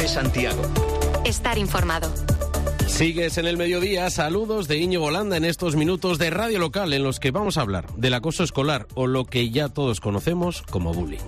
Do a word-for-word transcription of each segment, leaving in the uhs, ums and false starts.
de Santiago. Estar informado. Sigues en el mediodía, saludos de Íñigo Landa en estos minutos de Radio Local en los que vamos a hablar del acoso escolar o lo que ya todos conocemos como bullying.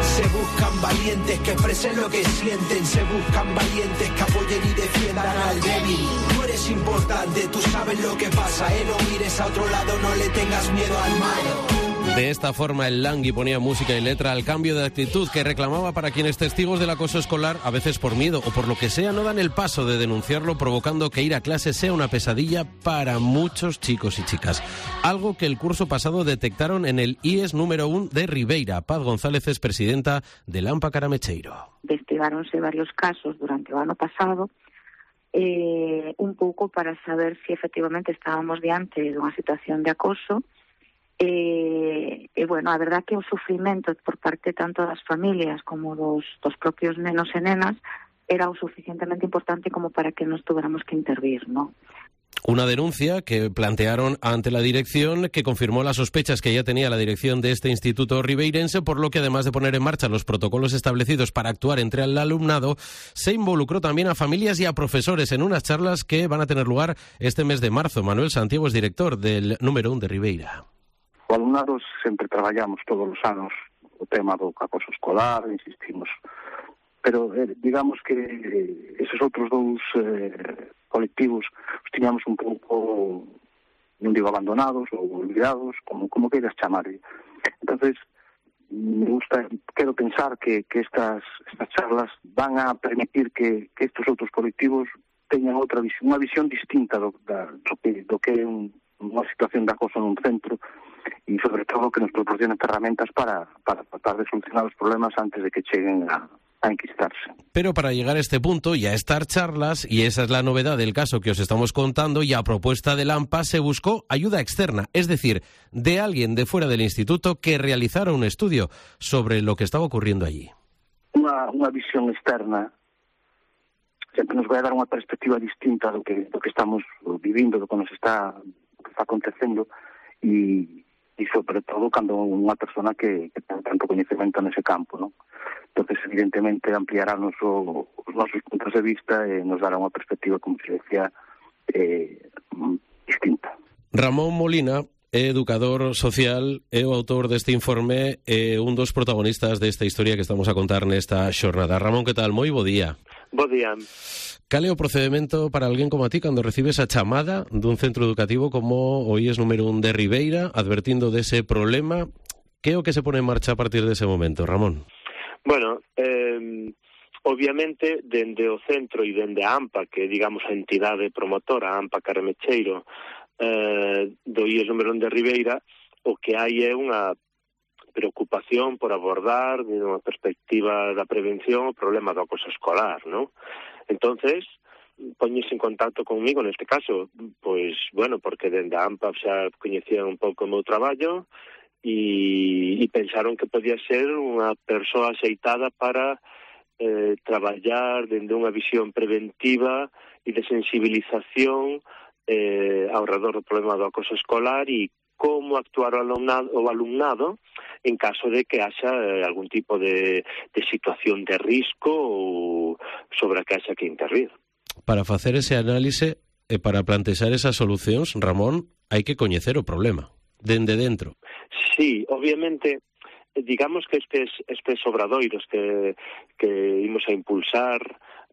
Se buscan valientes que expresen lo que sienten, se buscan valientes que apoyen y defiendan al débil. Tú eres importante, tú sabes lo que pasa, eh, no mires a otro lado, no le tengas miedo al malo. De esta forma, el Langui ponía música y letra al cambio de actitud que reclamaba para quienes testigos del acoso escolar, a veces por miedo o por lo que sea, no dan el paso de denunciarlo, provocando que ir a clase sea una pesadilla para muchos chicos y chicas. Algo que el curso pasado detectaron en el I E S número uno de Ribeira. Paz González es presidenta del AMPA Caramecheiro. Investigáronse varios casos durante o ano pasado, eh, un pouco para saber si efectivamente estábamos diante dunha situación de acoso. E, e, bueno, a verdad que o sufrimento por parte tanto das familias como dos, dos propios nenos e nenas era o suficientemente importante como para que nos tuviéramos que intervir, ¿no? Una denuncia que plantearon ante la dirección, que confirmó las sospechas que ya tenía la dirección de este instituto ribeirense, por lo que además de poner en marcha los protocolos establecidos para actuar entre el alumnado, se involucró también a familias y a profesores en unas charlas que van a tener lugar este mes de marzo. Manuel Santiago es director del número uno de Ribeira. O alumnado sempre traballamos todos os anos o tema do acoso escolar, insistimos, pero eh, digamos que esos outros dous eh, colectivos os tiñamos un pouco, non digo abandonados ou olvidados, como, como queiras chamar. Entonces, me gusta, quero pensar que, que estas, estas charlas van a permitir que, que estes outros colectivos teñan outra visión, unha visión distinta do, da, do, que, do que é un, unha situación de acoso nun centro, y sobre todo que nos proporcionen herramientas para, para tratar de solucionar los problemas antes de que lleguen a, a enquistarse. Pero para llegar a este punto y a estas charlas, y esa es la novedad del caso que os estamos contando, y a propuesta del AMPA se buscó ayuda externa, es decir, de alguien de fuera del instituto que realizara un estudio sobre lo que estaba ocurriendo allí. Una, una visión externa sempre nos vai a dar unha perspectiva distinta do que, do que estamos vivindo, do que nos está, do que está acontecendo, e, e sobre todo cando unha persona que, que ten tanto coñecemento nese campo, non? Entonces, evidentemente, ampliará noso, os nosos puntos de vista e nos dará unha perspectiva, como se decía, eh, distinta. Ramón Molina é educador social, é o autor deste informe e un dos protagonistas desta historia que estamos a contar nesta xornada. Ramón, que tal? Moi bo día. Bo día. Cal é o procedimento para alguén como a ti cando recibes a chamada dun centro educativo como o I E S número uno de Ribeira, advertindo dese problema? Que é o que se pone en marcha a partir dese momento, Ramón? Bueno, eh, obviamente, dende o centro e dende a AMPA, que digamos a entidade promotora, a AMPA Caramecheiro, eh, do I E S número uno de Ribeira, o que hai é unha preocupación por abordar, de unha perspectiva da prevención, o problema do acoso escolar, non? Entonces, poñese en contacto conmigo neste caso, pois, bueno, porque dende a AMPA xa coñecían un pouco o meu traballo e, e pensaron que podía ser unha persoa aceitada para eh, traballar dende unha visión preventiva e de sensibilización eh, ao redor do problema do acoso escolar e como actuar o alumnado, o alumnado en caso de que haxa eh, algún tipo de, de situación de risco ou sobre a que haxa que intervir. Para facer ese análise e para plantexar esas solucións, Ramón, hai que coñecer o problema, dende dentro. Sí, obviamente, digamos que estes, estes obradoiros que, que imos a impulsar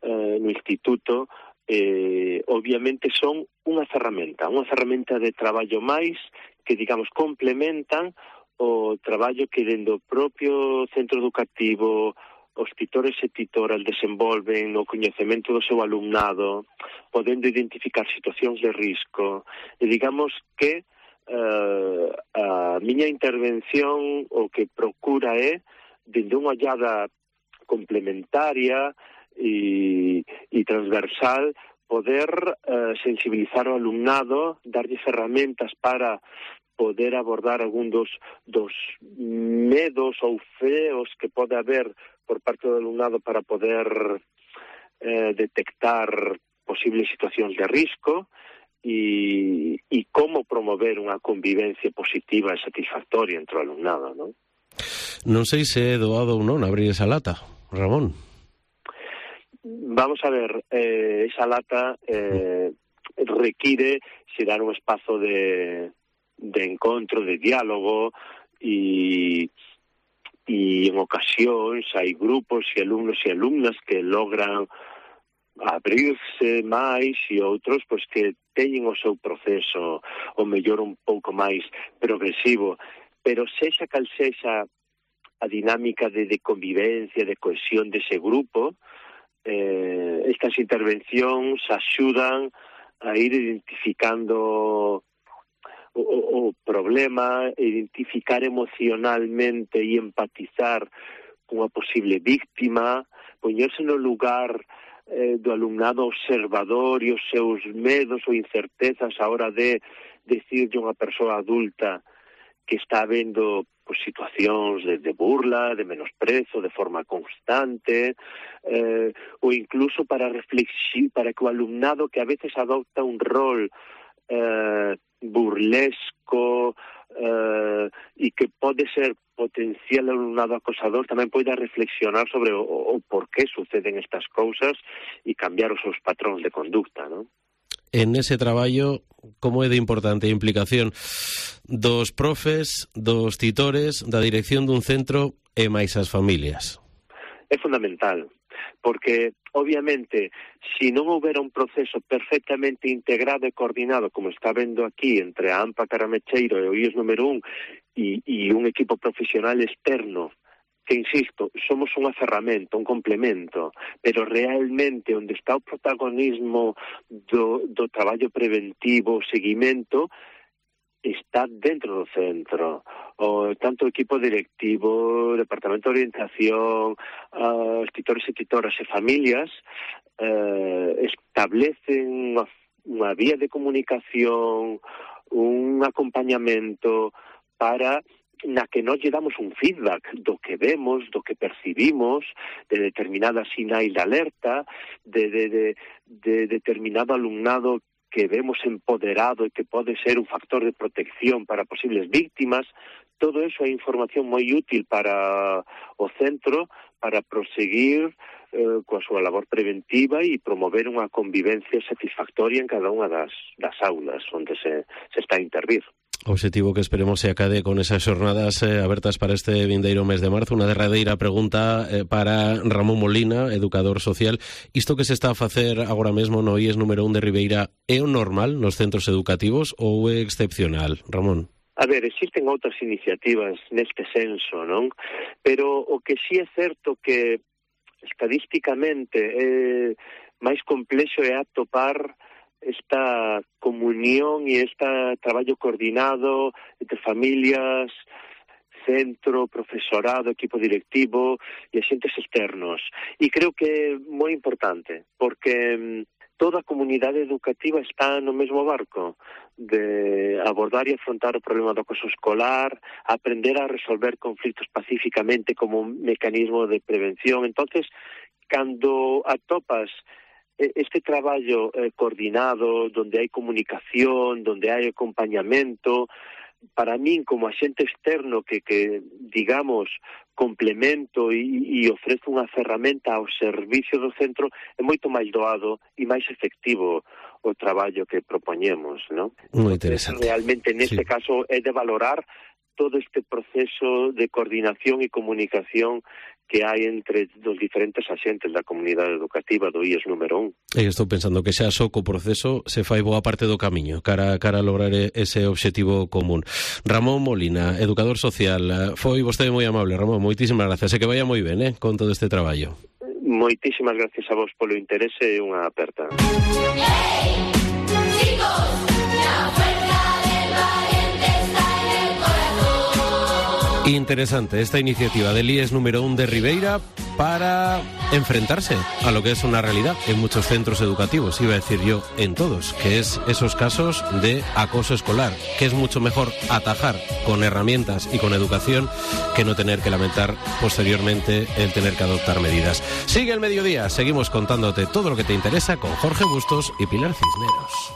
eh, no Instituto, eh, obviamente son unha ferramenta, unha ferramenta de traballo máis que, digamos, complementan o traballo que dende o propio centro educativo os titores e titoras desenvolven no coñecemento do seu alumnado, podendo identificar situacións de risco. E digamos que uh, a miña intervención o que procura é, dende unha ollada complementaria e, e transversal, poder uh, sensibilizar o alumnado, darlle ferramentas para poder abordar algún dos, dos medos ou feos que pode haber por parte do alumnado para poder eh, detectar posibles situacións de risco e, e como promover unha convivencia positiva e satisfactoria entre o alumnado, non? Non sei se é doado ou non abrir esa lata, Ramón. Vamos a ver, eh, esa lata eh, require xerar un espazo de, de encontro, de diálogo, e, e en ocasións hai grupos e alumnos e alumnas que logran abrirse máis e outros pois que teñen o seu proceso o mellor un pouco máis progresivo, pero sexa cal sexa a dinámica de, de convivencia, de cohesión dese grupo, eh, estas intervencións axudan a ir identificando o, o problema, identificar emocionalmente e empatizar cunha posible víctima, poñerse no lugar eh, do alumnado observador e os seus medos ou incertezas a hora de decirle a unha persoa adulta que está vendo pues, situacións de, de burla, de menosprezo, de forma constante, eh, ou incluso para reflexi para que o alumnado que a veces adopta un rol eh, burlesco eh, e que pode ser potencial alumnado acosador, tamén poida reflexionar sobre o, o por que suceden estas cousas e cambiar os seus patróns de conducta, non? En ese traballo, como é de importante a implicación dos profes, dos titores, da dirección dun centro e máis as familias? É fundamental, porque, obviamente, se non houbera un proceso perfectamente integrado e coordinado, como está vendo aquí, entre a AMPA Caramecheiro e o I E S número un, e, e un equipo profesional externo, que, insisto, somos unha ferramenta, un complemento, pero realmente onde está o protagonismo do, do traballo preventivo, o seguimento, está dentro do centro. O, tanto o equipo directivo, o departamento de orientación, os titores e titoras e familias eh, establecen unha, unha vía de comunicación, un acompañamento para na que nós lle damos un feedback do que vemos, do que percibimos, de determinada sinais de alerta, de, de, de, de determinado alumnado que vemos empoderado e que pode ser un factor de protección para posibles víctimas. Todo eso é información moi útil para o centro para proseguir eh, coa súa labor preventiva e promover unha convivencia satisfactoria en cada unha das, das aulas onde se, se está a intervir. Obxectivo que esperemos se acade con esas xornadas eh, abertas para este vindeiro mes de marzo. Unha derradeira pregunta eh, para Ramón Molina, educador social. Isto que se está a facer agora mesmo no I E S número un de Ribeira é o normal nos centros educativos ou é excepcional, Ramón? A ver, existen outras iniciativas neste senso, non? Pero o que sí é certo que estadísticamente é máis complexo é atopar esta comunión e este traballo coordinado entre familias, centro, profesorado, equipo directivo e axentes externos. E creo que é moi importante, porque toda a comunidade educativa está no mesmo barco de abordar e afrontar o problema do acoso escolar, aprender a resolver conflitos pacíficamente como un mecanismo de prevención. Entonces, cando atopas este traballo eh, coordinado, donde hai comunicación, donde hai acompañamento, para min, como axente externo que, que digamos, complemento e, e ofrece unha ferramenta ao servicio do centro, é moito máis doado e máis efectivo o traballo que propoñemos, non? Moi interesante. Realmente, neste sí. caso, é de valorar todo este proceso de coordinación e comunicación que hai entre os diferentes axentes da comunidade educativa do I E S número un. E estou pensando que xa só co proceso se fai boa parte do camiño cara, cara a lograr ese obxectivo común. Ramón Molina, educador social, foi vostede moi amable, Ramón, moitísimas gracias, e que vaya moi ben, eh, con todo este traballo. Moitísimas gracias a vos polo interese e unha aperta. ¡Hey! ¡Chicos! ¡La fuerza del valiente está en el corazón! Interesante esta iniciativa del I E S número un de Ribeira para enfrentarse a lo que es una realidad en muchos centros educativos, iba a decir yo en todos, que es esos casos de acoso escolar, que es mucho mejor atajar con herramientas y con educación que no tener que lamentar posteriormente el tener que adoptar medidas. Sigue el mediodía, seguimos contándote todo lo que te interesa con Jorge Bustos y Pilar Cisneros.